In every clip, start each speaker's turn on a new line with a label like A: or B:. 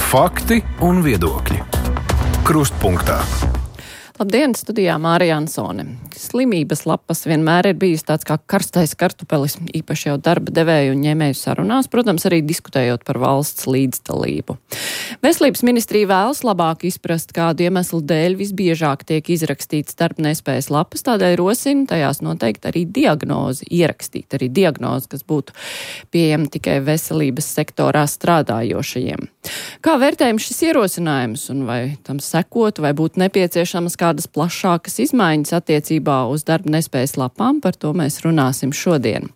A: Fakti un viedokļi. Krustpunktā.
B: Labdien, studijā Mārija Ansone. Slimības lapas vienmēr ir bijis tāds kā karstais kartupelis, īpaši jau darba devēju un ņēmēju sarunās, protams, arī diskutējot par valsts līdzdalību. Veselības ministrija vēlas labāk izprast, kādu iemeslu dēļ visbiežāk tiek izrakstīts darbnespējas lapas, tādēļ rosina tajās noteikti arī diagnozi, ierakstīt arī diagnozi, kas būtu pieejama tikai veselības sektorā strādājošajiem. Kā vērtējam šis ierosinājums un vai tam sekotu, vai būtu nepieciešamas kādas plašākas izmaiņas attiecībā uz darba nespējas lapām, par to mēs runāsim šodien.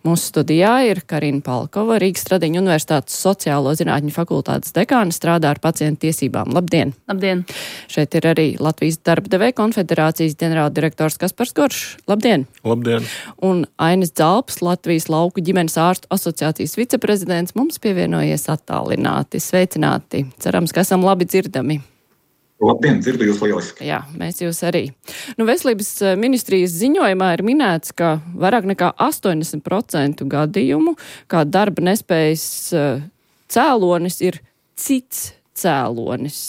B: Mūsu studijā ir Karina Palkova, Rīgas Stradiņu Universitātes sociālo zinātņu fakultātes dekāne, strādā ar pacientu tiesībām. Labdien!
C: Labdien!
B: Šeit ir arī Latvijas darba devēja konfederācijas ģenerāldirektors Kaspars Goršs. Labdien!
D: Labdien!
B: Un Ainis Dzalps, Latvijas lauku ģimenes ārstu asociācijas viceprezidents, mums pievienojies attālināti. Sveicināti! Cerams, ka esam labi dzirdami.
D: Labdien, dzirdu jūs lieliski.
B: Jā, mēs jūs arī. Veselības ministrijas ziņojumā ir minēts, ka vairāk nekā 80% gadījumu, kā darba nespējas cēlonis ir cits cēlonis.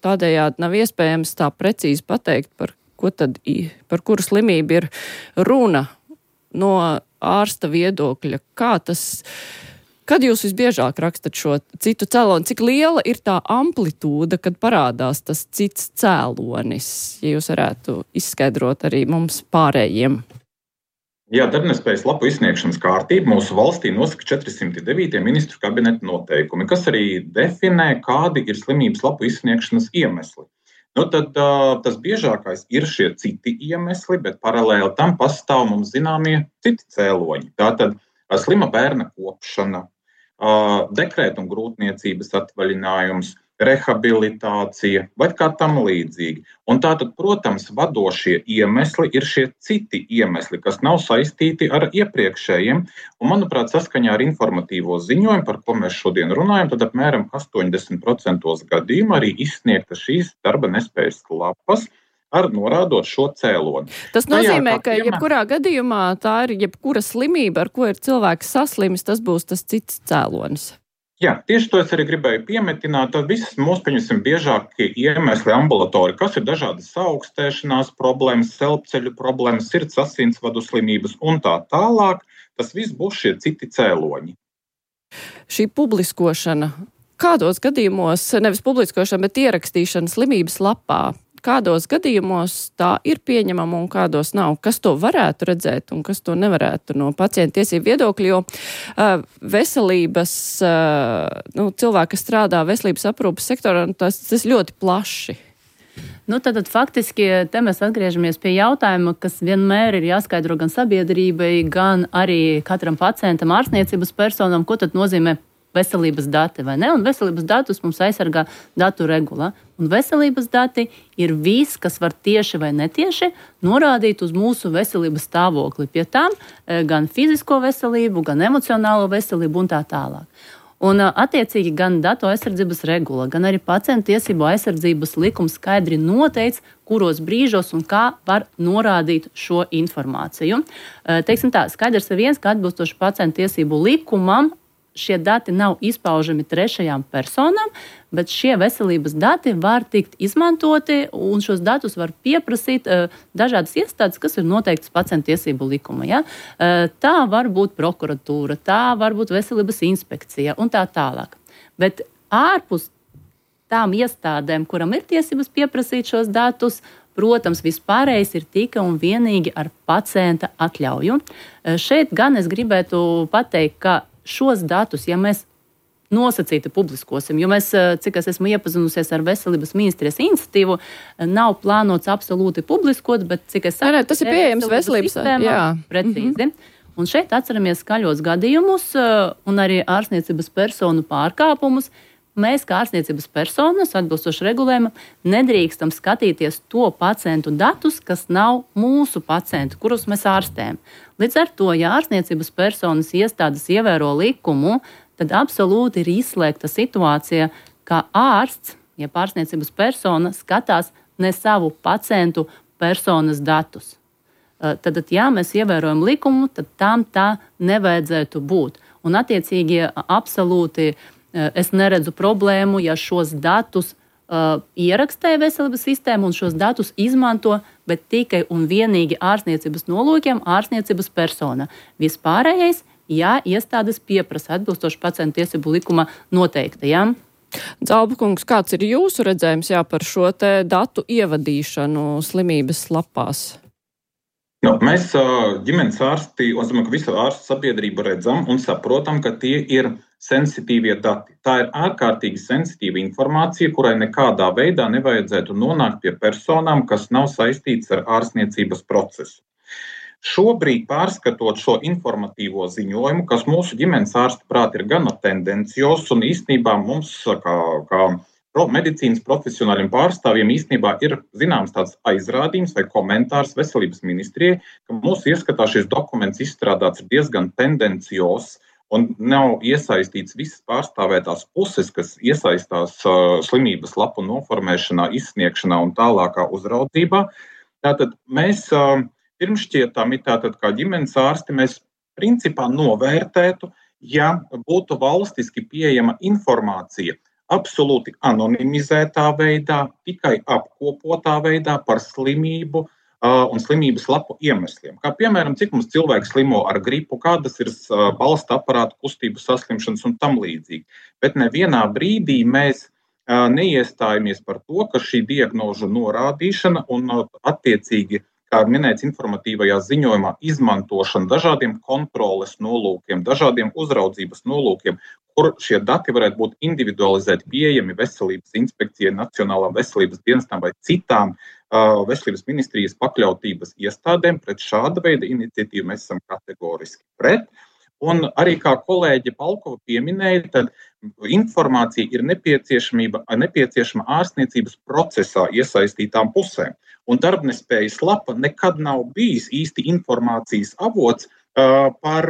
B: Tādējādi nav iespējams tā precīzi pateikt, par kuru slimību ir runa no ārsta viedokļa. Kad jūs visbiežāk rakstat šo citu cēloni, cik liela ir tā amplitūda, kad parādās tas cits cēlonis, ja jūs varētu izskaidrot arī mums pārējiem?
D: Jā, darbnespējas lapu izsniegšanas kārtība mūsu valstī nosaka 409. ministru kabineta noteikumi, kas arī definē, kādi ir slimības lapu izsniegšanas iemesli. Tad tas biežākais ir šie citi iemesli, bet paralēli tam pastāv mums zināmie citi cēloņi. Tātad slima bērna kopšana, dekrēta un grūtniecības atvaļinājums, rehabilitācija vai kā tam līdzīgi. Un tātad, protams, vadošie iemesli ir šie citi iemesli, kas nav saistīti ar iepriekšējiem. Un, manuprāt, saskaņā ar informatīvo ziņojumu, par ko mēs šodien runājam, tad apmēram 80% gadījumu arī izsniegta šīs darba nespējas lapas, ar norādot šo cēloni.
B: Tas nozīmē, ka jebkurā gadījumā tā ir jebkura slimība, ar ko ir cilvēks saslimis, tas būs tas cits cēlonis.
D: Jā, tieši to es arī gribēju piemetināt. Tad visas mūsu, pieņemsim, biežākie iemesli ambulatori, kas ir dažādas saaugstēšanās problēmas, elpceļu problēmas, sirds asinsvadu slimības un tā tālāk, tas viss būs šie citi cēloņi.
B: Šī publiskošana, kādos gadījumos, nevis publiskošana, bet ierakstīšana slimības lapā, kādos gadījumos tā ir pieņemama un kādos nav? Kas to varētu redzēt un kas to nevarētu no pacienta tiesību viedokļa? Jo veselības, cilvēki, kas strādā veselības aprūpes sektorā, tas ļoti plaši.
C: Tad faktiski te mēs atgriežamies pie jautājuma, kas vienmēr ir jāskaidro gan sabiedrībai, gan arī katram pacientam, ārstniecības personam, ko tad nozīmē veselības dati, vai ne? Un veselības datus mums aizsargā datu regula. Un veselības dati ir viss, kas var tieši vai netieši norādīt uz mūsu veselības stāvokli. Pie tām gan fizisko veselību, gan emocionālo veselību un tā tālāk. Un attiecīgi gan datu aizsardzības regula, gan arī pacientu tiesību aizsardzības likums skaidri noteic, kuros brīžos un kā var norādīt šo informāciju. Teiksim tā, skaidrs ir viens, ka atbilstoši pacientu tiesību likumam šie dati nav izpaužami trešajām personām, bet šie veselības dati var tikt izmantoti un šos datus var pieprasīt dažādas iestādes, kas ir noteiktas pacientu tiesību likuma. Ja? Tā var būt prokuratūra, tā var būt veselības inspekcija un tā tālāk. Bet ārpus tām iestādēm, kuram ir tiesības pieprasīt šos datus, protams, vispārējais ir tikai un vienīgi ar pacienta atļauju. Šeit gan es gribētu pateikt, ka šos datus, ja mēs nosacīti publiskosim, jo mēs, cik es esmu iepazinusies ar veselības ministrijas iniciatīvu, nav plānots absolūti publiskot, bet cik es saprotu,
B: tas ir pieejams veselības
C: sistēmā, precīzi. Un šeit atceramies skaļos gadījumus un arī ārstniecības personu pārkāpumus. Mēs, kā ārstniecības personas, atbilstoši regulējumam, nedrīkstam skatīties to pacientu datus, kas nav mūsu pacienti, kurus mēs ārstējam. Līdz ar to, ja ārstniecības personas iestādes ievēro likumu, tad absolūti ir izslēgta situācija, ka ārsts, ja ārstniecības persona skatās ne savu pacientu personas datus. Tad, ja mēs ievērojam likumu, tad tam tā nevajadzētu būt. Un attiecīgi absolūti es neredzu problēmu, ja šos datus ierakstē veselības sistēma un šos datus izmanto, bet tikai un vienīgi ārstniecības nolūkiem ārstniecības persona. Vispārējais, ja iestādes pieprasa atbilstoši pacientu tiesību likuma noteiktajām.
B: Dzalbukungs, kāds ir jūsu redzējums par šo te datu ievadīšanu slimības lapās?
D: Mēs ģimenes ārsti, un es domāju, ka visa ārstu sabiedrība redzam un saprotam, ka tie ir sensitīvie dati. Tā ir ārkārtīgi sensitīva informācija, kurai nekādā veidā nevajadzētu nonākt pie personām, kas nav saistītas ar ārstniecības procesu. Šobrīd, pārskatot šo informatīvo ziņojumu, kas mūsu ģimenes ārsta prāt ir gana tendencios, un īstenībā mums, kā medicīnas profesionāļiem pārstāvjiem, īstenībā ir zināms tāds aizrādījums vai komentārs veselības ministrijai, ka mūsu ieskatā šis dokuments izstrādāts diezgan tendencios un nav iesaistīts visas pārstāvētās puses, kas iesaistās slimības lapu noformēšanā, izsniegšanā un tālākā uzraudzībā. Tātad mēs pirmšķietami, kā ģimenes ārsti, mēs principā novērtētu, ja būtu valstiski pieejama informācija absolūti anonimizētā veidā, tikai apkopotā veidā par slimību un slimības lapu iemesliem. Kā piemēram, cik mums cilvēki slimo ar gripu, kādas ir balsta aparātu kustību saslimšanas un tam līdzīgi. Bet nevienā brīdī mēs neiestājamies par to, ka šī diagnožu norādīšana un attiecīgi, kā minēts informatīvajā ziņojumā, izmantošana dažādiem kontroles nolūkiem, dažādiem uzraudzības nolūkiem, kur šie dati varētu būt individualizēti, pieejami veselības inspekcijai, Nacionālām veselības dienestām vai citām veselības ministrijas pakļautības iestādēm. Pret šāda veida iniciatīvu mēs esam kategoriski pret. Un arī kā kolēģe Palkova pieminēja, tad informācija ir nepieciešama ārstniecības procesā iesaistītām pusēm. Un darbnespējas lapa nekad nav bijis īsti informācijas avots par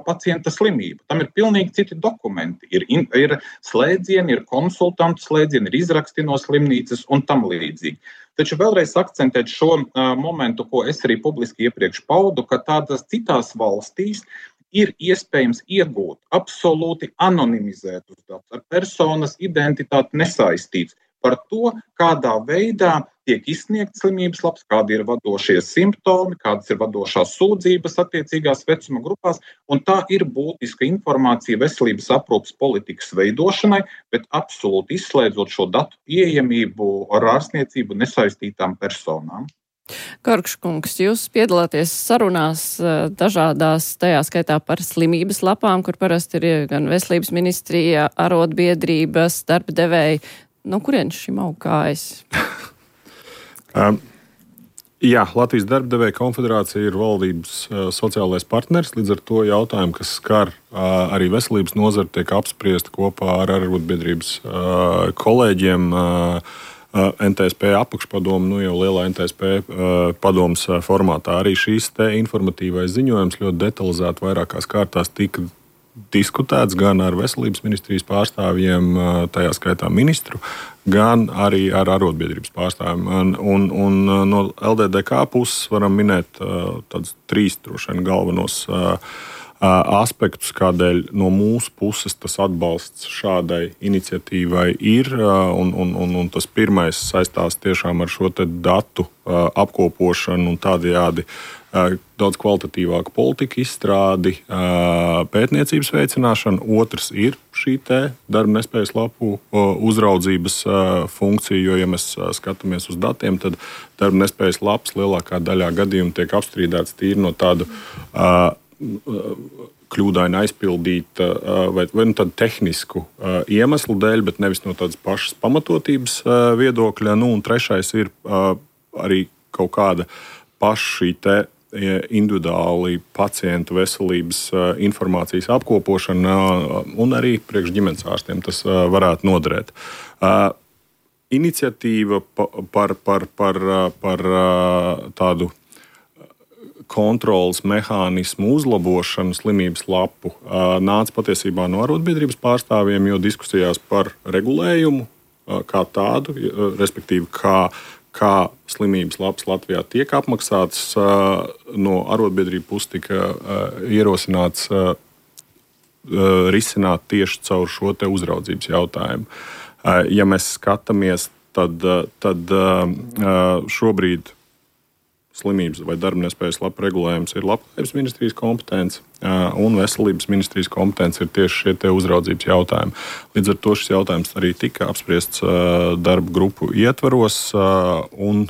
D: pacienta slimību. Tam ir pilnīgi citi dokumenti. Ir slēdzieni, ir konsultantu slēdzieni, ir izraksti no slimnīcas un tam līdzīgi. Taču vēlreiz akcentēt šo momentu, ko es arī publiski iepriekš paudu, ka tādās citās valstīs ir iespējams iegūt absolūti anonimizētus datus, ar personas identitāti nesaistīts par to, kādā veidā tiek izsniegts slimības lapas, kādi ir vadošie simptomi, kādas ir vadošās sūdzības attiecīgās vecuma grupās, un tā ir būtiska informācija veselības aprūpes politikas veidošanai, bet absolūti izslēdzot šo datu pieejamību ar ārstniecību nesaistītām personām.
B: Karkškungs, jūs piedalāties sarunās dažādās, tajā skaitā par slimības lapām, kur parasti ir gan veselības ministrija, arotbiedrības, darba devēji. No kurienes šim aug kājas?
E: Jā, Latvijas darba devēja konfederācija ir valdības sociālais partners, līdz ar to jautājumu, kas skar arī veselības nozari, tiek apspriesti kopā ar arotbiedrības kolēģiem. NTSP apakšpadomu, jau lielā NTSP padomas formātā. Arī šīs te informatīvais ziņojums ļoti detalizēti vairākās kārtās tika diskutēts gan ar veselības ministrijas pārstāvjiem, tajā skaitā ministru, gan arī ar arotbiedrības pārstāvjiem. Un no LDDK puses varam minēt tādus 3 droši vien galvenos aspektus, kādēļ no mūsu puses tas atbalsts šādai iniciatīvai ir. Un tas pirmais saistās tiešām ar šo te datu apkopošanu un tādējādi daudz kvalitatīvāku politiku izstrādi, pētniecības veicināšanu. Otrs ir šī te darba nespējas lapu uzraudzības funkcija, jo, ja mēs skatāmies uz datiem, tad darba nespējas lapas lielākā daļā gadījumu tiek apstrīdēts tīri no tādu kļūdaini aizpildīta vai tādu tehnisku iemeslu dēļ, bet nevis no tādas pašas pamatotības viedokļa. Un trešais ir arī kaut kāda paša šī te individuāli pacientu veselības informācijas apkopošana un arī priekš ģimenes ārstiem tas varētu noderēt. Iniciatīva par tādu kontrolas mehānismu uzlabošanu slimības lapu nāca patiesībā no arotbiedrības pārstāvjiem, jo diskusijās par regulējumu kā tādu, respektīvi kā slimības lapas Latvijā tiek apmaksāts, no arotbiedrību puses tika ierosināts risināt tieši caur šo te uzraudzības jautājumu. Ja mēs skatāmies, tad šobrīd slimības vai darba nespējas lapu regulējums ir Labklājības ministrijas kompetence, un Veselības ministrijas kompetence ir tieši šie te uzraudzības jautājumi. Līdz ar to šis jautājums arī tika apspriests darba grupu ietvaros, un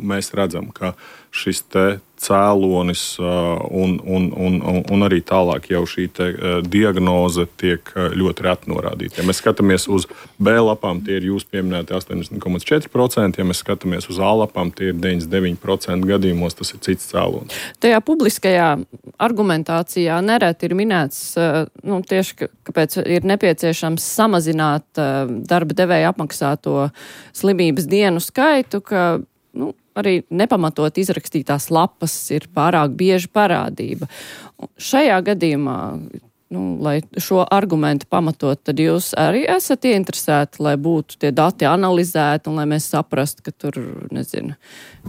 E: mēs redzam, ka šis te cēlonis un arī tālāk jau šī te diagnoze tiek ļoti reti norādīta. Ja mēs skatāmies uz B lapām, tie ir jūs pieminēti 80,4%, ja mēs skatāmies uz A lapām, tie ir 99% gadījumos, tas ir cits cēlonis.
B: Tajā publiskajā argumentācijā nereti ir minēts, tieši kāpēc ir nepieciešams samazināt darba devēja apmaksāto slimības dienu skaitu, ka arī nepamatot izrakstītās lapas ir pārāk bieži parādība. Šajā gadījumā, lai šo argumentu pamatot, tad jūs arī esat ieinteresēti, lai būtu tie dati analizēti un lai mēs saprastu, ka tur,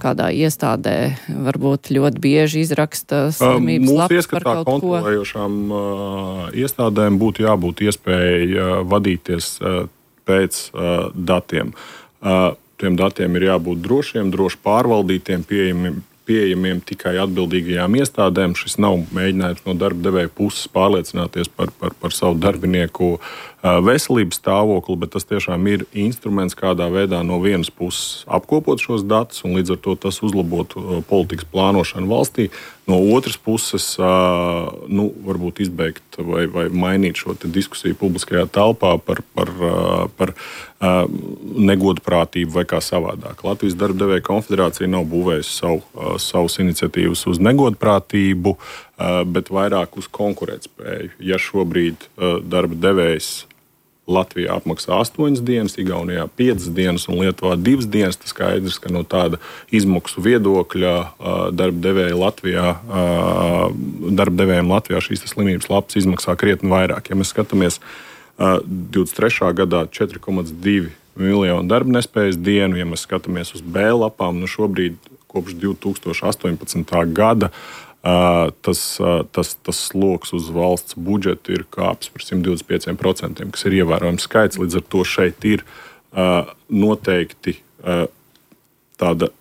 B: kādā iestādē varbūt ļoti bieži izraksta slimības lapas par kaut ko.
E: Mūsu ieskatā kontrolējošām iestādēm būtu jābūt iespēja vadīties pēc datiem. Tiem datiem ir jābūt drošiem, droši pārvaldītiem, pieejamiem tikai atbildīgajām iestādēm. Šis nav mēģinājums no darba devēja puses pārliecināties par savu darbinieku veselības stāvokli, bet tas tiešām ir instruments, kādā veidā no vienas puses apkopot šos datus, un līdz ar to tas uzlabotu politikas plānošanu valstī. No otras puses, varbūt izbeigt vai mainīt šo diskusiju publiskajā telpā par negodprātību vai kā savādāk. Latvijas darba devēja konfederācija nav būvējusi savus iniciatīvas uz negodprātību, bet vairāk uz konkurētspēju. Ja šobrīd darba devējs Latvijā apmaksā 8 dienas, Igaunijā 5 dienas un Lietuvā 2 dienas, tas skaidrs, ka no tāda izmaksu viedokļa darba devējiem Latvijā šīs slimības lapas izmaksā krietni vairāk. Ja mēs skatāmies 23. gadā 4,2 miljonu darba nespējas dienu, ja mēs skatāmies uz B lapām, šobrīd kopš 2018. gada tas sloks uz valsts budžetu ir kāps par 125%, kas ir ievērojams skaits. Līdz ar to šeit ir noteikti tāda,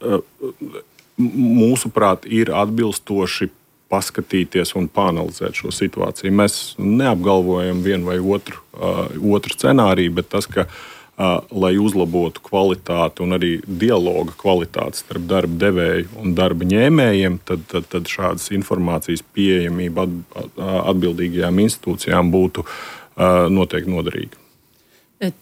E: mūsuprāt, ir atbilstoši paskatīties un pāanalizēt šo situāciju. Mēs neapgalvojam vienu vai otru scenāriju, bet tas, ka lai uzlabotu kvalitāti un arī dialoga kvalitāti starp darba devēju un darba ņēmējiem, tad šādas informācijas pieejamība atbildīgajām institūcijām būtu noteikti noderīga.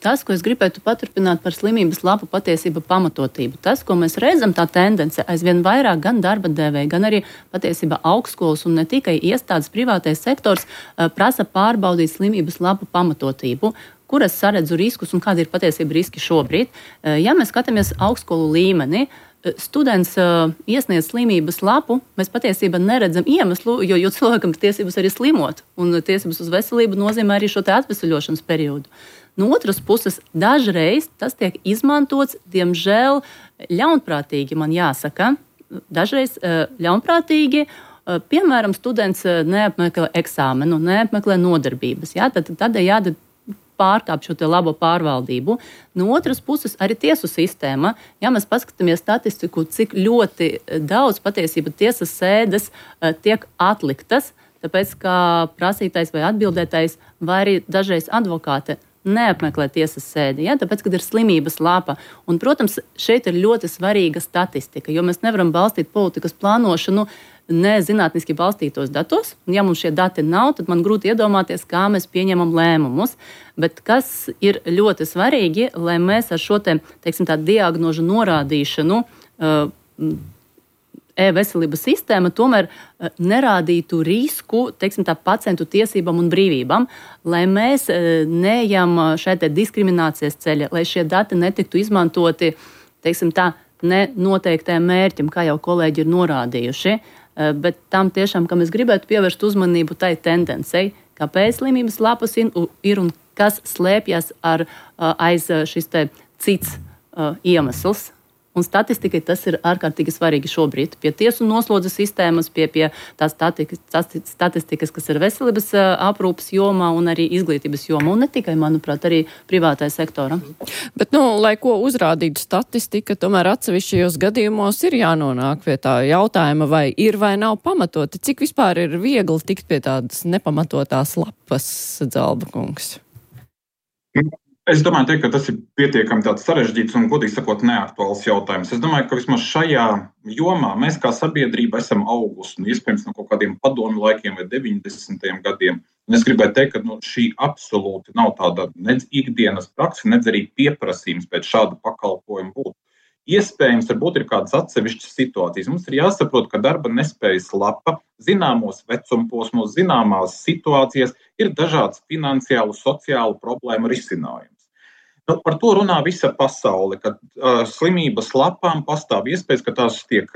C: Tas, ko es gribētu paturpināt par slimības lapu patiesība pamatotību, tas, ko mēs redzam, tā tendence aizvien vairāk gan darba devēji, gan arī patiesībā augstskolas un ne tikai iestādes privātais sektors prasa pārbaudīt slimības lapu pamatotību, kur es saredzu riskus un kādi ir patiesība riski šobrīd. Ja mēs skatāmies augstskolu līmeni, students iesniedz slimības lapu, mēs patiesībā neredzam iemeslu, jo cilvēkam ir tiesības arī slimot, un tiesības uz veselību nozīmē arī šo te atvesaļošanas periodu. No otras puses, dažreiz tas tiek izmantots, diemžēl, ļaunprātīgi, man jāsaka. Dažreiz ļaunprātīgi, piemēram, students neapmeklē eksāmenu, neapmeklē nodarbības. Tādējādi pārkāp šo labo pārvaldību. No otras puses, arī tiesu sistēma. Ja mēs paskatāmies statistiku, cik ļoti daudz patiesība tiesas sēdes tiek atliktas, tāpēc, ka prasītais vai atbildētais vai arī dažreiz advokāte neapmeklē tiesas sēdi, tāpēc, kad ir slimības lapa. Un, protams, šeit ir ļoti svarīga statistika, jo mēs nevaram balstīt politikas plānošanu nezinātniski balstītos datos. Un, ja mums šie dati nav, tad man grūti iedomāties, kā mēs pieņemam lēmumus. Bet kas ir ļoti svarīgi, lai mēs ar šo diagnožu norādīšanu e-veselības sistēma tomēr nerādītu risku pacientu tiesībām un brīvībām, lai mēs neejam šeit diskriminācijas ceļa, lai šie dati netiktu izmantoti nenoteiktiem mērķim, kā jau kolēģi ir norādījuši, bet tam tiešām, ka mēs gribētu pievērst uzmanību tai tendencei, kāpēc slimības lapas ir un kas slēpjas aiz šis cits iemesls. Un statistikai tas ir ārkārtīgi svarīgi šobrīd. Pie tiesu noslodzes sistēmas, pie tās statistikas, kas ir veselības aprūpas jomā un arī izglītības jomā. Un ne tikai, manuprāt, arī privātajā sektorā.
B: Bet, lai ko uzrādītu statistika, tomēr atsevišķajos gadījumos ir jānonāk pie tā jautājuma, vai ir vai nav pamatoti. Cik vispār ir viegli tikt pie tādas nepamatotās lapas, Dzalba kungs?
D: Es domāju, ka tas ir pietiekami tāds sarežģīts un, godīgi sakot, neaktuāls jautājums. Es domāju, ka vismaz šajā jomā mēs kā sabiedrība esam augusi, iespējams, no kaut kādiem padomu laikiem vai 90. gadiem. Un es gribēju teikt, ka šī absolūti nav tāda nedz ikdienas praksa, nedz arī pieprasījums pēc šāda pakalpojuma būt. Iespējams, varbūt ir kādas atsevišķas situācijas. Mums ir jāsaprot, ka darba nespējas lapa zināmos vecumposmos, zināmās situācijas ir dažāds finansiālu, sociālu problēmu risinājums. Par to runā visa pasaule, ka slimības lapām pastāv iespējas, ka tās tiek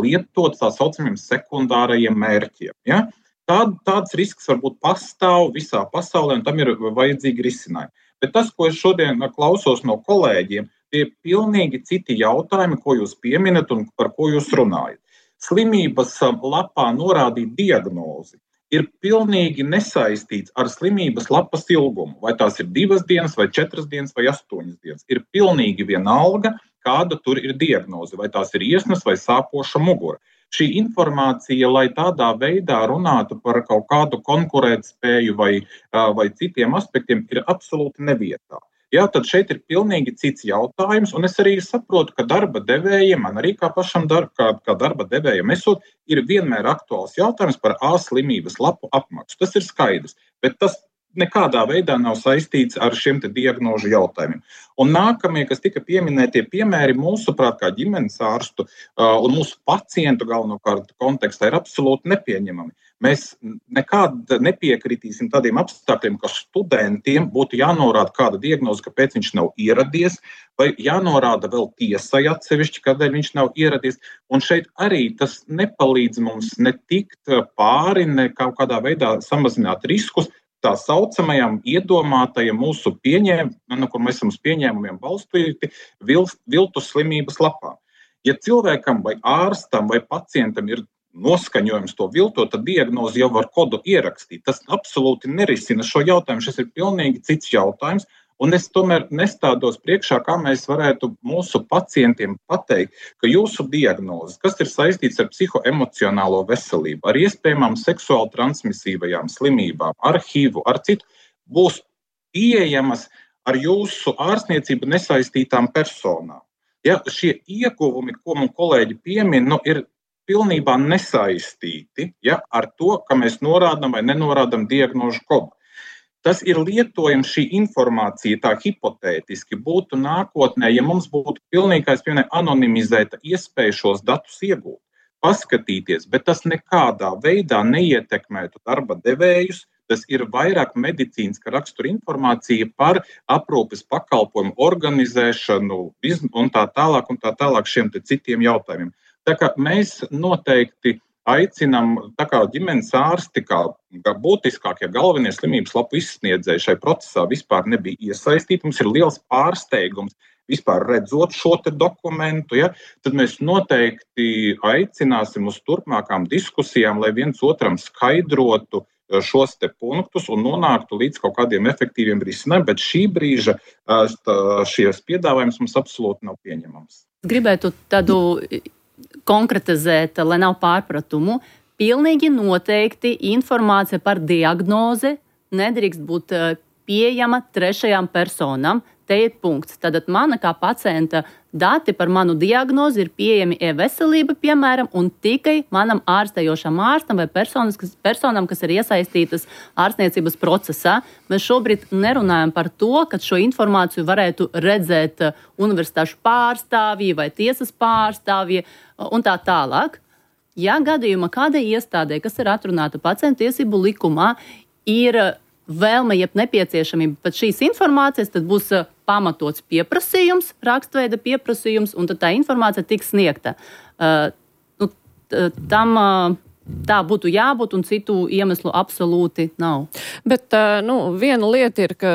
D: lietotas tā saucamiem sekundārajiem mērķiem. Ja? Tāds risks varbūt pastāv visā pasaulē, un tam ir vajadzīgi risinājumi. Bet tas, ko es šodien klausos no kolēģiem, tie ir pilnīgi citi jautājumi, ko jūs pieminat un par ko jūs runājat. Slimības lapā norādīt diagnozi ir pilnīgi nesaistīts ar slimības lapas ilgumu. Vai tās ir 2 dienas, vai 4 dienas, vai 8 dienas. Ir pilnīgi vienalga, kāda tur ir diagnoze. Vai tās ir iesnas vai sāpoša mugura. Šī informācija, lai tādā veidā runātu par kaut kādu konkurētspēju vai citiem aspektiem, ir absolūti nevietā. Jā, tad šeit ir pilnīgi cits jautājums, un es arī saprotu, ka darba devējiem, man arī kā pašam kā darba devējiem esot, ir vienmēr aktuāls jautājums par slimības lapu apmaksu. Tas ir skaidrs, bet tas nekādā veidā nav saistīts ar šiem te diagnožu jautājumiem. Un nākamie, kas tika pieminētie piemēri, mūsuprāt, kā ģimenes ārstu un mūsu pacientu galvenokārt kontekstā ir absolūti nepieņemami. Mēs nekad nepiekritīsim tādiem apstākļiem, ka studentiem būtu jānorāda kāda diagnoze, kāpēc viņš nav ieradies, vai jānorāda vēl tiesai atsevišķi, kādēļ viņš nav ieradies. Un šeit arī tas nepalīdz mums ne tikt pāri, ne kaut kādā veidā samazināt riskus tā saucamajam iedomātajam mūsu kur mēs esam uz pieņēmumiem balstīti, viltus slimības lapām. Ja cilvēkam vai ārstam vai pacientam ir noskaņojums to viltot, tad diagnozi jau var kodu ierakstīt. Tas absolūti nerisina šo jautājumu. Šis ir pilnīgi cits jautājums. Un es tomēr nestādos priekšā, kā mēs varētu mūsu pacientiem pateikt, ka jūsu diagnozes, kas ir saistīts ar psihoemocionālo veselību, ar iespējamām seksuāli transmisīvajām slimībām, ar HIV, ar citu, būs pieejamas ar jūsu ārstniecību nesaistītām personām. Ja, šie ieguvumi, ko man kolēģi piemin, ir pilnībā nesaistīti ar to, ka mēs norādām vai nenorādām diagnožu kodu. Tas ir lietojams, šī informācija tā hipotētiski būtu nākotnē, ja mums būtu pilnīgi, anonimizēta iespēja šos datus iegūt, paskatīties, bet tas nekādā veidā neietekmētu darba devējus. Tas ir vairāk medicīniska rakstura informācija par aprūpes pakalpojumu organizēšanu un tā tālāk šiem te citiem jautājumiem. Tā kā mēs noteikti aicinām, tā kā ģimenes ārsti, kā būtiskākie galvenie slimības lapu izsniedzēji šai procesā vispār nebija iesaistīti. Mums ir liels pārsteigums vispār redzot šo te dokumentu, tad mēs noteikti aicināsim uz turpmākām diskusijām, lai viens otram skaidrotu šos te punktus un nonāktu līdz kaut kādiem efektīviem risinājumiem, bet šī brīža šies piedāvājums mums absolūti nav pieņemams.
C: Gribētu tādu konkretizēt, lai nav pārpratumu. Pilnīgi noteikti informācija par diagnozi nedrīkst būt pieejama trešajām personām. Te ir punkts. Tātad mana kā pacienta dati par manu diagnozi ir pieejami e-veselība, piemēram, un tikai manam ārstējošam ārstam vai personām, kas ir iesaistītas ārstniecības procesā. Mēs šobrīd nerunājam par to, ka šo informāciju varētu redzēt universitāšu pārstāvji vai tiesas pārstāvji un tā tālāk. Ja gadījumā kādai iestādē, kas ir atrunāta pacientu tiesību likumā, ir vēlme, jeb nepieciešamība pēc šīs informācijas, tad būs pamatots pieprasījums, rakstveida pieprasījums, un tad tā informācija tiks sniegta. Tam tā būtu jābūt, un citu iemeslu absolūti nav.
B: Bet viena lieta ir, ka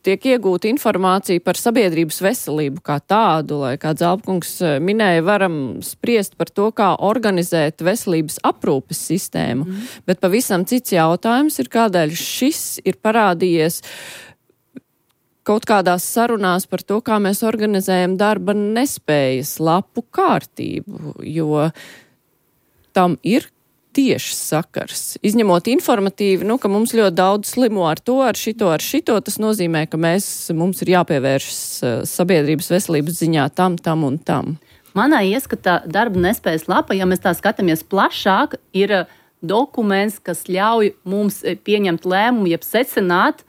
B: tiek iegūta informācija par sabiedrības veselību kā tādu, lai, kā Zalbkungs minēja, varam spriest par to, kā organizēt veselības aprūpes sistēmu. Bet pavisam cits jautājums ir, kādēļ šis ir parādījies kaut kādās sarunās par to, kā mēs organizējam darba nespējas lapu kārtību, jo tam ir tieši sakars. Izņemot informatīvi, ka mums ļoti daudz slimo ar to, ar šito, tas nozīmē, ka mums ir jāpievēršas sabiedrības veselības ziņā tam un tam.
C: Manā ieskatā darba nespējas lapa, ja mēs tā skatāmies plašāk, ir dokuments, kas ļauj mums pieņemt lēmumu, jeb secināt,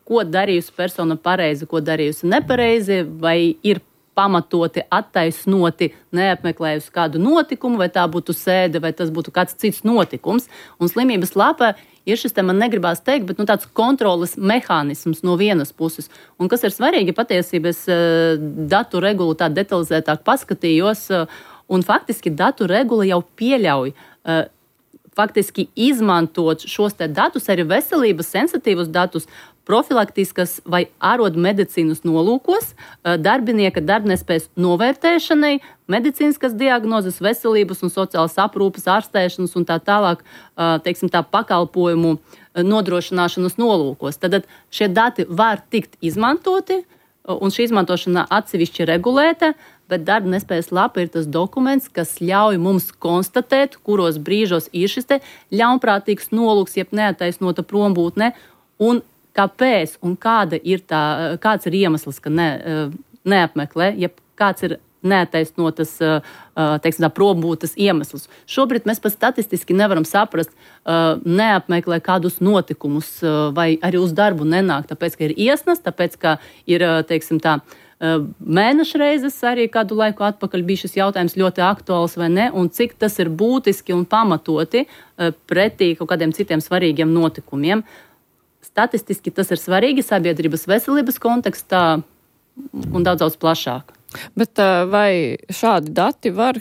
C: ko darījusi persona pareizi, ko darījusi nepareizi, vai ir pamatoti, attaisnoti, neapmeklējusi kādu notikumu, vai tā būtu sēde, vai tas būtu kāds cits notikums. Un slimības lapa ir šis, man negribās teikt, bet tāds kontroles mehānisms no vienas puses. Un kas ir svarīgi, patiesībā es datu regulu tā detalizētāk paskatījos, un faktiski datu regula jau pieļauj faktiski izmantot šos te datus, arī veselības sensitīvus datus, profilaktiskas vai ārodmedicīnas nolūkos, darbinieka darbnespējas novērtēšanai, medicīniskas diagnozes, veselības un sociālas aprūpes, ārstēšanas un tā tālāk, teiksim tā, pakalpojumu nodrošināšanas nolūkos. Tad šie dati var tikt izmantoti, un šī izmantošana atsevišķi regulēta, bet darba nespējas lapa ir tas dokuments, kas ļauj mums konstatēt, kuros brīžos ir šis te ļaunprātīgs nolūks, jeb neattaisnota prombūtne, un kāpēc un kāds ir iemesls, ka neapmeklē, ja kāds ir neattaisnotas, teiksim tā, prombūtas iemesls. Šobrīd mēs pat statistiski nevaram saprast, neapmeklē kādus notikumus vai arī uz darbu nenāk, tāpēc, ka ir iesnas, tāpēc, ka ir, teiksim tā, mēnešreizes arī kādu laiku atpakaļ bija šis jautājums ļoti aktuāls vai ne, un cik tas ir būtiski un pamatoti pretī kaut kādiem citiem svarīgiem notikumiem. Statistiski tas ir svarīgi sabiedrības veselības kontekstā un daudz plašāk.
B: Bet vai šādi dati var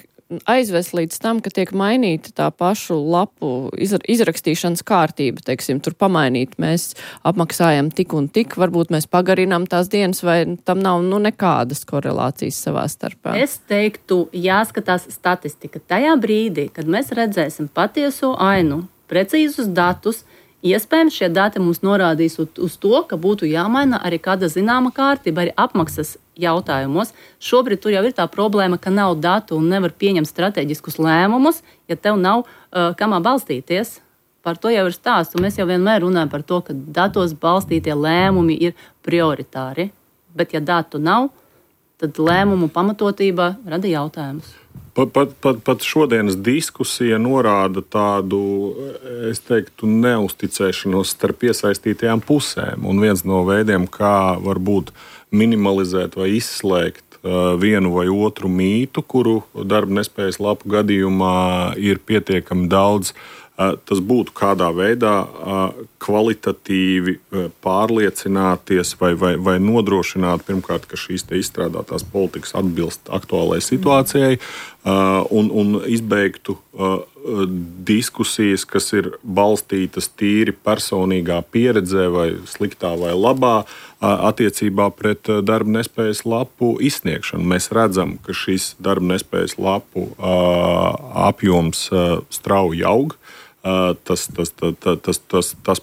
B: aizvest līdz tam, ka tiek mainīta tā pašu lapu izrakstīšanas kārtība, teiksim, tur pamainīt, mēs apmaksājam tik un tik, varbūt mēs pagarinām tās dienas, vai tam nav nekādas korelācijas savā starpā?
C: Es teiktu, jāskatās statistika. Tajā brīdī, kad mēs redzēsim patieso ainu, precīzus datus, iespējams, šie dati mums norādīs uz to, ka būtu jāmaina arī kāda zināma kārtība, arī apmaksas jautājumos. Šobrīd tur jau ir tā problēma, ka nav datu un nevar pieņemt strateģiskus lēmumus, ja tev nav kamā balstīties. Par to jau ir stāsts, un mēs jau vienmēr runājam par to, ka datos balstītie lēmumi ir prioritāri. Bet ja datu nav, tad lēmumu pamatotība rada jautājumus.
E: Pat šodienas diskusija norāda tādu, es teiktu, neusticēšanos starp iesaistītajām pusēm. Un viens no veidiem, kā varbūt minimalizēt vai izslēgt vienu vai otru mītu, kuru darba nespējas lapu gadījumā ir pietiekami daudz, tas būtu kādā veidā kvalitatīvi pārliecināties vai nodrošināt pirmkārt, ka šīs te izstrādātās politikas atbilst aktuālajai situācijai un izbeigtu diskusijas, kas ir balstītas tīri personīgā pieredzē vai sliktā vai labā attiecībā pret darba nespējas lapu izsniegšanu. Mēs redzam, ka šis darba nespējas lapu apjoms strauji aug. Tas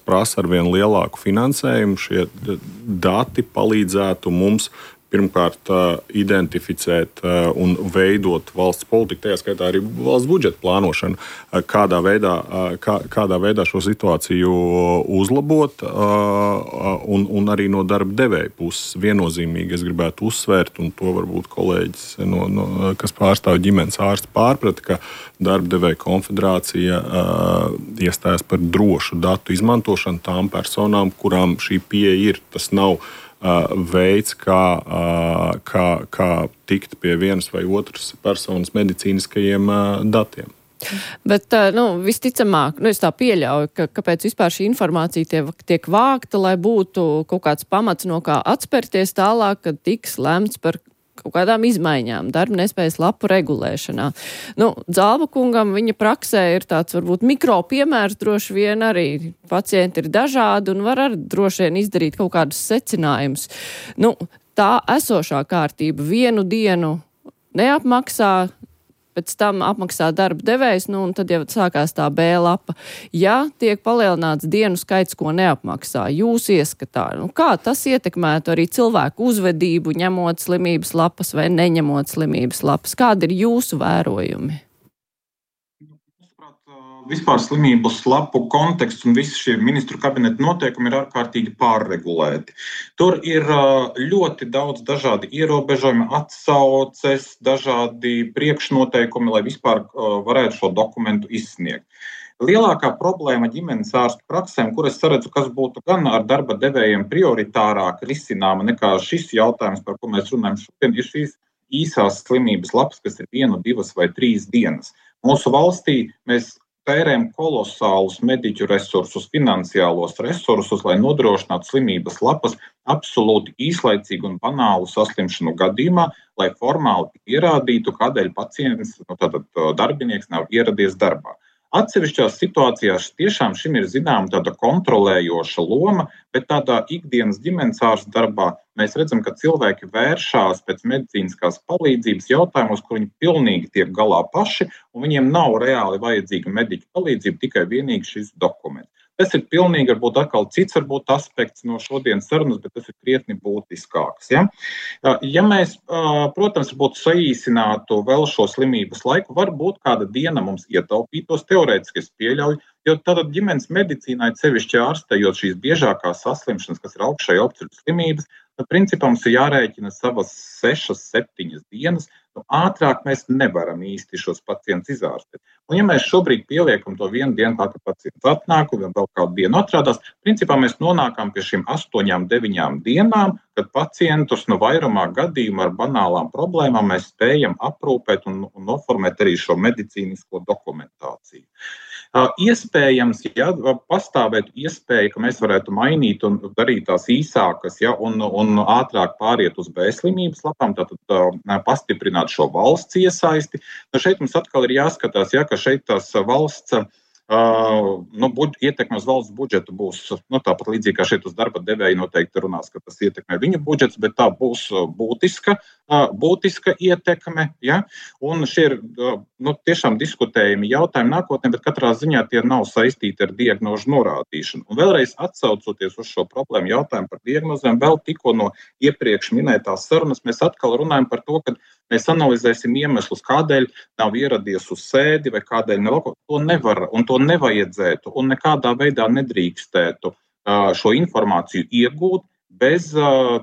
E: prasa ar vien lielāku finansējumu. Šie dati palīdzētu mums pirmkārt identificēt un veidot valsts politiku, tajā skaitā arī valsts budžeta plānošanu, kādā veidā šo situāciju uzlabot un arī no darba devēja puses. Viennozīmīgi es gribētu uzsvērt, un to varbūt kolēģis, kas pārstāv ģimenes ārsti, pārprata, ka darba devēja konfederācija iestājas par drošu datu izmantošanu tām personām, kurām šī pieeja ir. Tas nav veids, kā tikt pie vienas vai otras personas medicīniskajiem datiem.
B: Bet, visticamāk, es tā pieļauju, kāpēc vispār šī informācija tiek vākta, lai būtu kaut kāds pamats, no kā atspērties tālāk, kad tiks lemts par kaut kādām izmaiņām darba nespējas lapu regulēšanā. Dzalba kungam viņa praksē ir tāds varbūt mikro piemērs, droši vien arī pacienti ir dažādi un var arī droši vien izdarīt kaut kādus secinājumus. Tā esošā kārtība vienu dienu neapmaksā, pēc tam apmaksā darba devējs, un tad jau sākās tā B lapa. Ja tiek palielināts dienu skaits, ko neapmaksā, jūs ieskatā, kā tas ietekmētu arī cilvēku uzvedību, ņemot slimības lapas vai neņemot slimības lapas? Kādi ir jūsu vērojumi?
D: Vispār slimības lapu konteksts un visi šie ministru kabineta noteikumi ir ārkārtīgi pārregulēti. Tur ir ļoti daudz dažādi ierobežojumi, atsauces, dažādi priekšnoteikumi, lai vispār varētu šo dokumentu izsniegt. Lielākā problēma ģimenes ārstu praksēm, kur es saredzu, kas būtu gan ar darba devējiem prioritārāk risināma nekā šis jautājums, par ko mēs runājam šodien, ir šīs īsās slimības lapas, kas ir 1, 2 vai 3 dienas. Mūsu valstī mēs tērējam kolosālus mediķu resursus, finansiālos resursus, lai nodrošinātu slimības lapas absolūti īslaicīgu un banālu saslimšanu gadījumā, lai formāli pierādītu, kādēļ pacients, tātad darbinieks nav ieradies darbā. Atsevišķās situācijās tiešām šim ir zināma tāda kontrolējoša loma, bet tādā ikdienas ģimenes ārsta darbā mēs redzam, ka cilvēki vēršās pēc medicīniskās palīdzības jautājumos, kur viņi pilnīgi tiek galā paši, un viņiem nav reāli vajadzīga mediķa palīdzība, tikai vienīgi šis dokuments. Tas ir pilnīgi, varbūt atkal cits aspekts no šodienas sarunas, bet tas ir krietni būtiskāks. Ja mēs, protams, būtu saīsinātu vēl šo slimības laiku, varbūt kāda diena mums ietaupītos, teorētiski es pieļauju, jo tātad ģimenes medicīnā, sevišķi ārstējot šīs biežākās saslimšanas, kas ir augšēji apceļu slimības, tad principā mums ir jārēķina savas 6, 7 dienas. Ātrāk mēs nevaram īsti šos pacientus izārstēt. Un ja mēs šobrīd pieliekam to vienu dienu, kā pacients atnāk un vēl kādu dienu atrādās, principā mēs nonākam pie šīm 8, 9 dienām, kad pacientus vairumā gadījumu ar banālām problēmām mēs spējam aprūpēt un noformēt arī šo medicīnisko dokumentāciju. Iespējams, ja pastāvētu iespēja, ka mēs varētu mainīt un darīt tās īsākas, un ātrāk pāriet uz B slimības lapām, tātad pastiprināt šo valsts iesaisti. Šeit mums atkal ir jāskatās, ka šeit tās valsts ietekme uz valsts budžetu būs tāpat līdzīgi kā šeit uz darba devēju noteikti runās, ka tas ietekmē viņu budžets, bet tā būs būtiska ietekme. Ja? Un šie ir tiešām diskutējami jautājumi nākotnē, bet katrā ziņā tie nav saistīti ar diagnožu norādīšanu. Un vēlreiz atsaucoties uz šo problēmu jautājumu par diagnozēm, vēl tikko no iepriekš minētās sarunas mēs atkal runājam par to, ka mēs analizēsim iemeslus, kādēļ nav ieradies uz sēdi vai kādēļ nav. To nevar un to nevajadzētu un nekādā veidā nedrīkstētu šo informāciju iegūt bez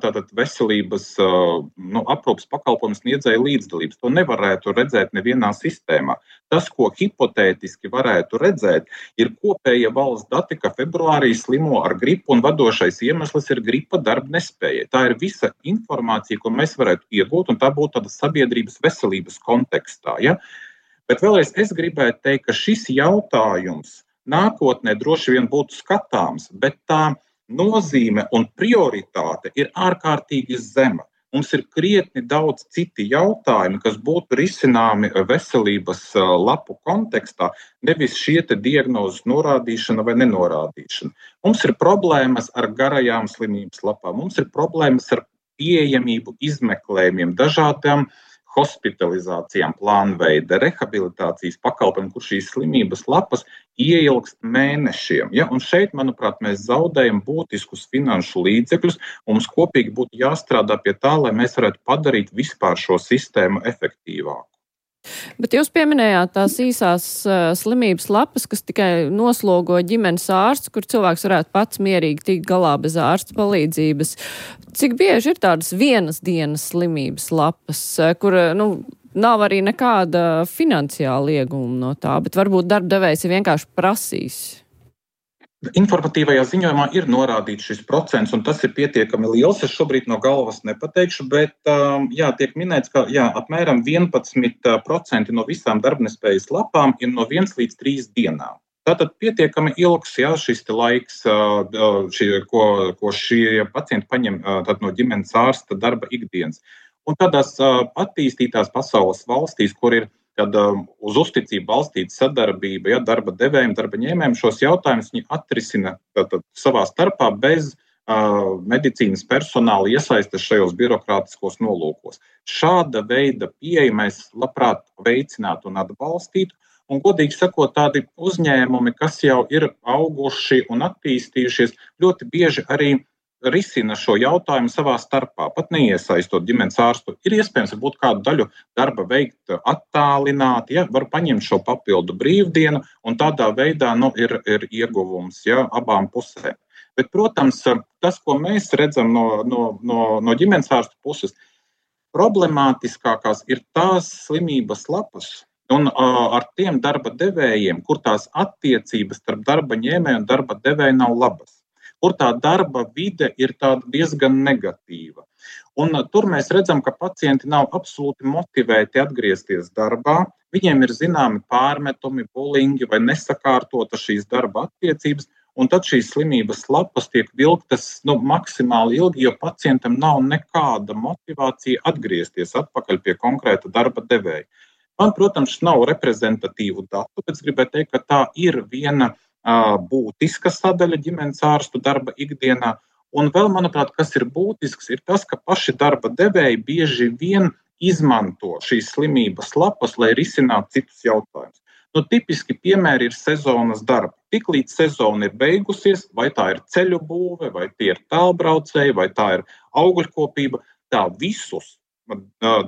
D: tātad veselības aprūpes pakalpojumu sniedzēja līdzdalības. To nevarētu redzēt nevienā sistēmā. Tas, ko hipotētiski varētu redzēt, ir kopējie valsts dati, ka februārī slimo ar gripu un vadošais iemesls ir gripa darba nespēja. Tā ir visa informācija, ko mēs varētu iegūt, un tā būtu tāda sabiedrības veselības kontekstā. Ja? Bet vēlreiz es gribētu teikt, ka šis jautājums nākotnē droši vien būtu skatāms, bet tā nozīme un prioritāte ir ārkārtīgi zema. Mums ir krietni daudz citi jautājumi, kas būtu risināmi veselības lapu kontekstā, nevis šie diagnozes norādīšana vai nenorādīšana. Mums ir problēmas ar garajām slimības lapām, mums ir problēmas ar pieejamību izmeklējumiem, dažādām hospitalizācijām, plānveida, rehabilitācijas pakalpojumiem, kur šīs slimības lapas ieilgst mēnešiem. Ja? Un šeit, manuprāt, mēs zaudējam būtiskus finanšu līdzekļus, un mums kopīgi būtu jāstrādā pie tā, lai mēs varētu padarīt vispār šo sistēmu efektīvāku.
B: Bet jūs pieminējāt tās īsās slimības lapas, kas tikai noslogo ģimenes ārsts, kur cilvēks varētu pats mierīgi tikt galā bez ārsta palīdzības. Cik bieži ir tādas vienas dienas slimības lapas, kur nav arī nekāda finansiāla ieguma no tā, bet varbūt darbdevējs ir vienkārši prasījis?
D: Informatīvajā ziņojumā ir norādīts šis procents, un tas ir pietiekami liels. Es šobrīd no galvas nepateikšu, bet tiek minēts, ka apmēram 11% no visām darbnespējas lapām ir no 1 līdz 3 dienām. Tātad pietiekami ilgs šis laiks, ko šie pacienti paņem no ģimenes ārsta darba ikdienas. Un tādās attīstītās pasaules valstīs, kur ir uz uzticību balstīta sadarbība, darba devējiem, darba ņēmējiem, šos jautājumus viņi atrisina savā starpā bez medicīnas personāla iesaistes šajos birokrātiskos nolūkos. Šāda veida pieeja mēs labprāt veicinātu un atbalstītu. Un, godīgi sakot, tādi uzņēmumi, kas jau ir auguši un attīstījušies, ļoti bieži arī risina šo jautājumu savā starpā, pat neiesaistot ģimenes ārstu. Ir iespējams varbūt kādu daļu darba veikt attālināti, var paņemt šo papildu brīvdienu, un tādā veidā ir ieguvums abām pusēm. Bet, protams, tas, ko mēs redzam no ģimenes ārstu puses, problemātiskākās ir tās slimības lapas, un ar tiem darba devējiem, kur tās attiecības starp darba ņēmēju un darba devēju nav labas, kur tā darba vide ir tāda diezgan negatīva. Un tur mēs redzam, ka pacienti nav absolūti motivēti atgriezties darbā, viņiem ir zināmi pārmetumi, bulingi vai nesakārtota šīs darba attiecības, un tad šīs slimības lapas tiek vilktas maksimāli ilgi, jo pacientam nav nekāda motivācija atgriezties atpakaļ pie konkrēta darba devēja. Man, protams, nav reprezentatīvu datu, bet es gribēju teikt, ka tā ir viena būtiska sadaļa ģimenes ārstu darba ikdienā. Un vēl, manuprāt, kas ir būtisks, ir tas, ka paši darba devēji bieži vien izmanto šīs slimības lapas, lai risinātu citus jautājumus. Tipiski piemēri ir sezonas darba. Tiklīdz sezona ir beigusies, vai tā ir ceļu būve, vai tie ir tālbraucēji, vai tā ir augļkopība, tā visus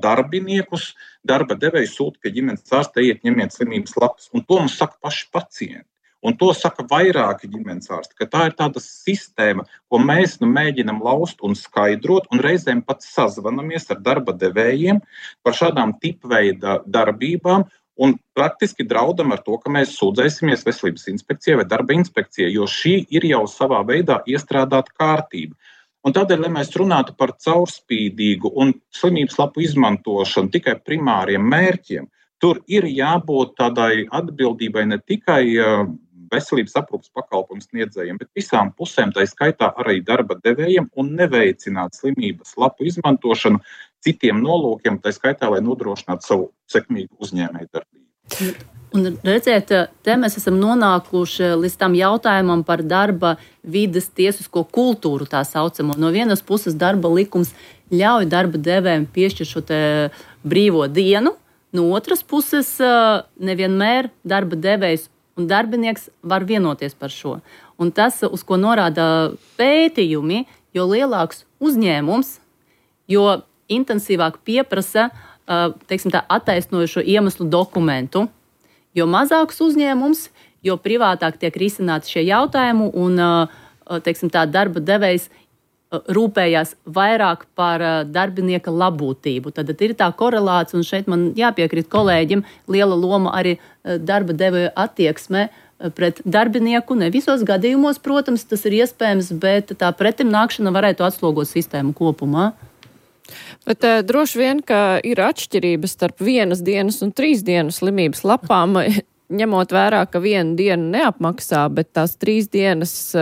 D: darbiniekus darba devēji sūta pie ģimenes ārsta, ņemiet slimības lapas. Un to mums saka paši pacienti. Un to saka vairāki ģimenes ārsti, ka tā ir tāda sistēma, ko mēs mēģinam laust un skaidrot, un reizēm pat sazvanamies ar darba devējiem par šādām tipveida darbībām, un praktiski draudam ar to, ka mēs sūdzēsimies veselības inspekcijai vai darba inspekcijai, jo šī ir jau savā veidā iestrādāta kārtība. Un tādēļ, lai mēs runātu par caurspīdīgu un slimības lapu izmantošanu tikai primāriem mērķiem, tur ir jābūt tādai atbildībai ne tikai veselības aprūpes pakalpojumu sniedzējiem, bet visām pusēm, tā skaitā arī darba devējiem, un neveicināt slimības lapu izmantošanu citiem nolūkiem, tā skaitā, lai nodrošinātu savu sekmīgu uzņēmēju darbību.
C: Un redziet, te mēs esam nonākuši līdz tam jautājumam par darba vides tiesisko kultūru, tā saucamo. No vienas puses darba likums ļauj darba devējiem piešķirt šo te brīvo dienu, no otras puses nevienmēr darba devējs un darbinieks var vienoties par šo. Un tas, uz ko norāda pētījumi, jo lielāks uzņēmums, jo intensīvāk pieprasa, teiksim tā, attaisnojušo iemeslu dokumentu. Jo mazāks uzņēmums, jo privātāk tiek risināti šie jautājumi un, teiksim tā, darba devējs rūpējās vairāk par darbinieka labūtību. Tad ir tā korelācija, un šeit man jāpiekrīt kolēģim, liela loma arī darba devēja attieksmē pret darbinieku. Ne visos gadījumos, protams, tas ir iespējams, bet tā pretimnākšana varētu atslogot sistēmu kopumā.
B: Bet droši vien, ka ir atšķirības starp 1 dienas un 3 dienu slimības lapām, ņemot vērā, ka 1 dienu neapmaksā, bet tās 3 dienas,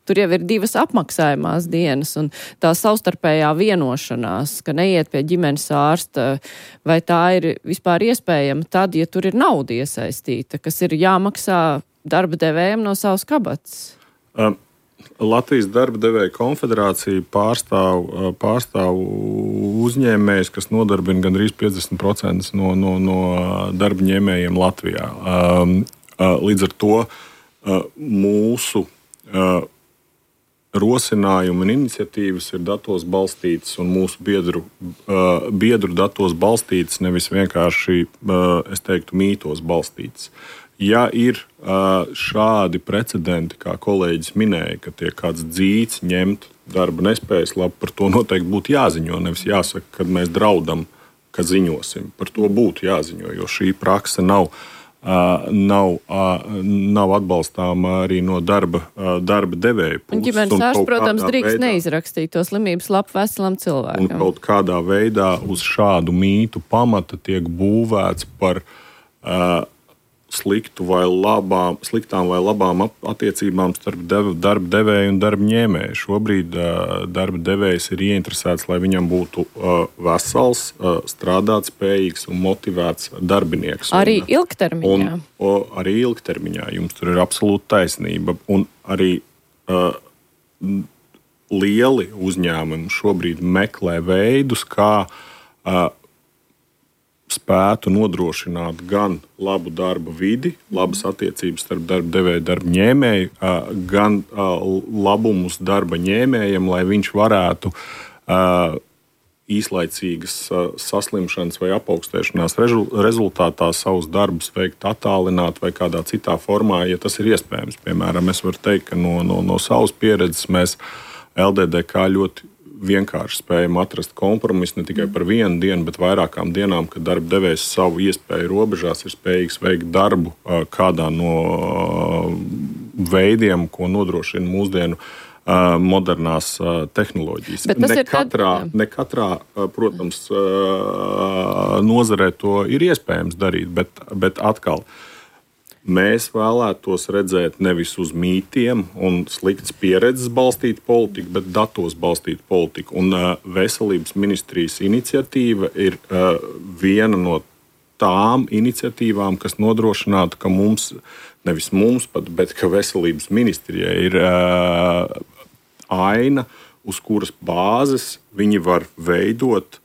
B: tur jau ir 2 apmaksājumās dienas, un tā savstarpējā vienošanās, ka neiet pie ģimenes ārsta, vai tā ir vispār iespējama tad, ja tur ir nauda iesaistīta, kas ir jāmaksā darba devējiem no savas kabatas?
E: Latvijas darba devēja konfederācija pārstāv uzņēmējus, kas nodarbina gandrīz 50% no darba ņēmējiem Latvijā. Līdz ar to mūsu rosinājumi un iniciatīvas ir datos balstītas un mūsu biedru datos balstītas, nevis vienkārši, es teiktu, mītos balstītas. Ja ir šādi precedenti, kā kolēģis minēja, ka tiek kāds dzīts ņemt darba nespējas labu, par to noteikti būtu jāziņo. Nevis jāsaka, kad mēs draudam, ka ziņosim. Par to būtu jāziņo, jo šī prakse nav atbalstāma arī no darba devēja puses.
B: Un ģimenes ārsts, protams, drīkst neizrakstīt to slimības lapu veselam cilvēkam.
E: Un kaut kādā veidā uz šādu mītu pamata tiek būvēts par sliktām vai labām attiecībām starp darba devēju un darba ņēmēju. Šobrīd darba devējs ir ieinteresēts, lai viņam būtu vesels, strādātspējīgs un motivēts darbinieks.
B: Arī ilgtermiņā.
E: Arī ilgtermiņā. Jums tur ir absolūta taisnība. Un arī lieli uzņēmumi šobrīd meklē veidus, kā spētu nodrošināt gan labu darba vidi, labas attiecības starp darba devēju, darba ņēmēju, gan labumus darba ņēmējam, lai viņš varētu īslaicīgas saslimšanas vai apaugstēšanās rezultātā savus darbus veikt attālināt vai kādā citā formā, ja tas ir iespējams. Piemēram, es varu teikt, ka no savas pieredzes mēs LDDK ļoti vienkārši spējam atrast kompromisu ne tikai par vienu dienu, bet vairākām dienām, kad darba devējs savu iespēju robežās ir spējīgs veikt darbu kādā no veidiem, ko nodrošina mūsdienu modernās tehnoloģijas. Ne katrā, protams, nozarē to ir iespējams darīt, bet atkal mēs vēlētos redzēt nevis uz mītiem un sliktas pieredzes balstītu politiku, bet datos balstītu politiku. Un veselības ministrijas iniciatīva ir viena no tām iniciatīvām, kas nodrošinātu, ka nevis mums pat, bet ka veselības ministrijai ir aina, uz kuras bāzes viņi var veidot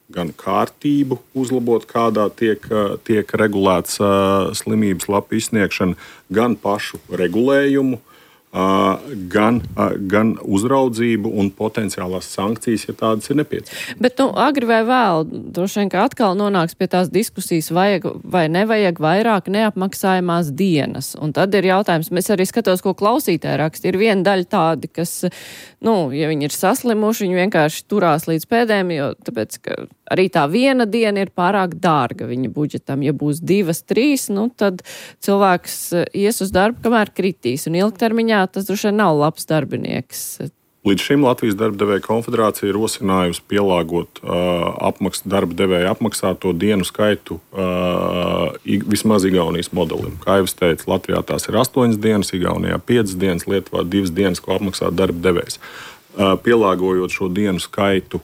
E: gan kārtību uzlabot, kādā tiek regulēts slimības lapu izsniegšana, gan pašu regulējumu, gan uzraudzību un potenciālās sankcijas, ja tādas ir nepieciešamas.
B: Bet agri vai vēl, droši vien, ka atkal nonāks pie tās diskusijas, vajag vai nevajag vairāk neapmaksājumās dienas. Un tad ir jautājums, mēs arī skatos, ko klausītāji raksta. Ir viena daļa tādi, kas, ja viņi ir saslimuši, viņi vienkārši turās līdz pēdējiem, jo tāpēc, ka arī tā viena diena ir pārāk dārga viņa budžetam. Ja būs 2, 3, tad cilvēks ies uz darbu, kamēr kritīs. Un ilgtermiņā tas droši vien nav labs darbinieks.
E: Līdz šim Latvijas darba devēja konfederācija ir rosinājusi pielāgot darba devēja apmaksāto dienu skaitu vismaz Igaunijas modelim. Kā jau es teicu, Latvijā tās ir 8 dienas, Igaunijā 5 dienas, Lietuvā 2 dienas, ko apmaksā darba devējs. Pielāgojot šo dienu skaitu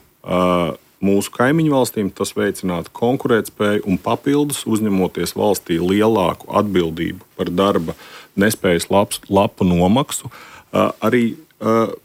E: mūsu kaimiņu valstīm, tas veicinātu konkurētspēju un papildus uzņemoties valstī lielāku atbildību par darba nespējas lapu nomaksu. Arī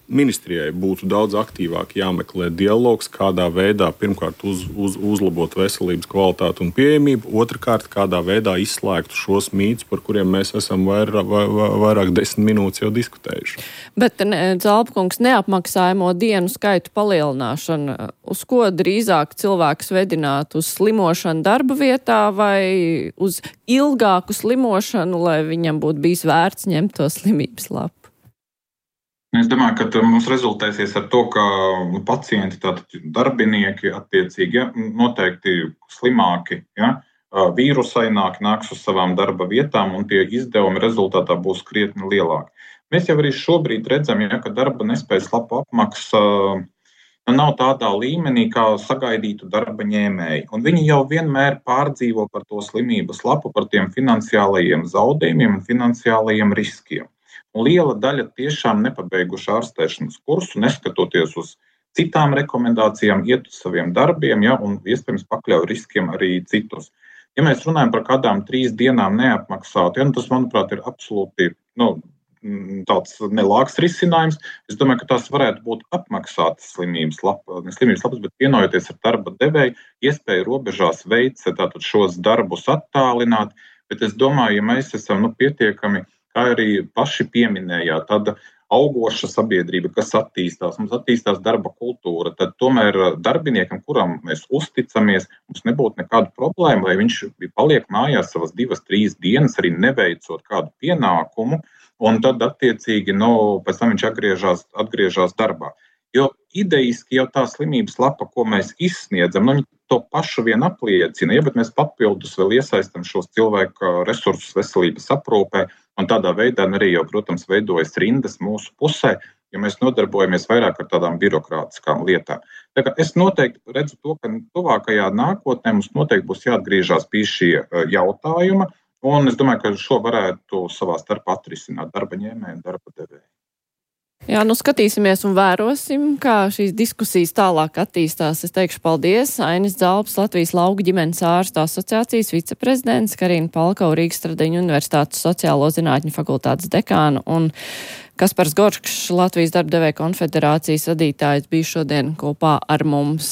E: ministrijai būtu daudz aktīvāk jāmeklē dialogs, kādā veidā pirmkārt uzlabot veselības kvalitāti un pieejamību, otrkārt kādā veidā izslēgtu šos mītus, par kuriem mēs esam vairāk 10 minūtes jau diskutējuši.
B: Bet, Zalpkungs, neapmaksājamo dienu skaitu palielināšana, uz ko drīzāk cilvēks vedināt? Uz slimošanu darba vietā vai uz ilgāku slimošanu, lai viņam būtu bijis vērts ņemt to slimības lapu?
D: Es domāju, ka mums rezultēsies ar to, ka pacienti, tātad darbinieki attiecīgi, noteikti slimāki, vīrusaināki nāks uz savām darba vietām un tie izdevumi rezultātā būs krietni lielāki. Mēs jau arī šobrīd redzam, ka darba nespējas lapu apmaksa nav tādā līmenī, kā sagaidītu darba ņēmēji. Un viņi jau vienmēr pārdzīvo par to slimības lapu, par tiem finansiālajiem zaudējumiem un finansiālajiem riskiem. Un liela daļa tiešām nepabeiguši ārstēšanas kursu, neskatoties uz citām rekomendācijām, iet uz saviem darbiem, un iespējams pakļauj riskiem arī citus. Ja mēs runājam par kādām 3 dienām neapmaksāt, tas, manuprāt, ir absolūti tāds nelāks risinājums. Es domāju, ka tās varētu būt apmaksātas slimības lapas, bet vienojoties ar darba devēju, iespēja robežās veikt tātad šos darbus attālināt, bet es domāju, ja mēs esam pietiekami, kā arī paši pieminējāt, tāda augoša sabiedrība, kas attīstās, mums attīstās darba kultūra, tad tomēr darbiniekam, kuram mēs uzticamies, mums nebūtu nekāda problēma, lai viņš paliek mājās savas 2, 3 dienas, arī neveicot kādu pienākumu, un tad attiecīgi, pēc tam viņš atgriežas darbā. Jo idejiski jau tā slimības lapa, ko mēs izsniedzam, to pašu vien apliecina, bet mēs papildus vēl iesaistam šos cilvēku resursus veselības aprūpē, un tādā veidā arī jau, protams, veidojas rindas mūsu pusē, ja mēs nodarbojamies vairāk ar tādām birokrātiskām lietām. Tā kā es noteikti redzu to, ka tuvākajā nākotnē mums noteikti būs jāatgriežas pie šī jautājuma, Un es domāju, ka šo varētu savā starpā atrisināt darba ņēmēji un darba devēji.
B: Jā, skatīsimies un vērosim, kā šīs diskusijas tālāk attīstās. Es teikšu paldies. Ainis Dzalps, Latvijas lauku ģimenes ārstu asociācijas viceprezidents, Karina Palkova, Rīgas Stradiņu universitātes sociālo zinātņu fakultātes dekāna un Kaspars Goršs, Latvijas darba devēja konfederācijas vadītājs, bija šodien kopā ar mums.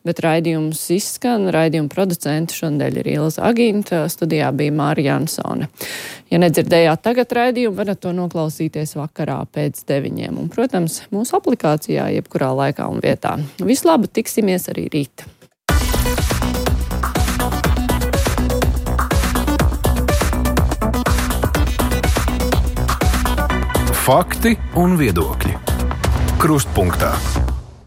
B: Bet raidījums izskan, raidījuma producenti šodien ir Ilza Agīnta, studijā bija Mārija Jansone. Ja nedzirdējāt tagad raidījumu, varat to noklausīties vakarā pēc 9. Un, protams, mūsu aplikācijā jebkurā laikā un vietā. Vislabāk, tiksimies arī rīt!
A: Fakti un viedokļi. Krustpunktā.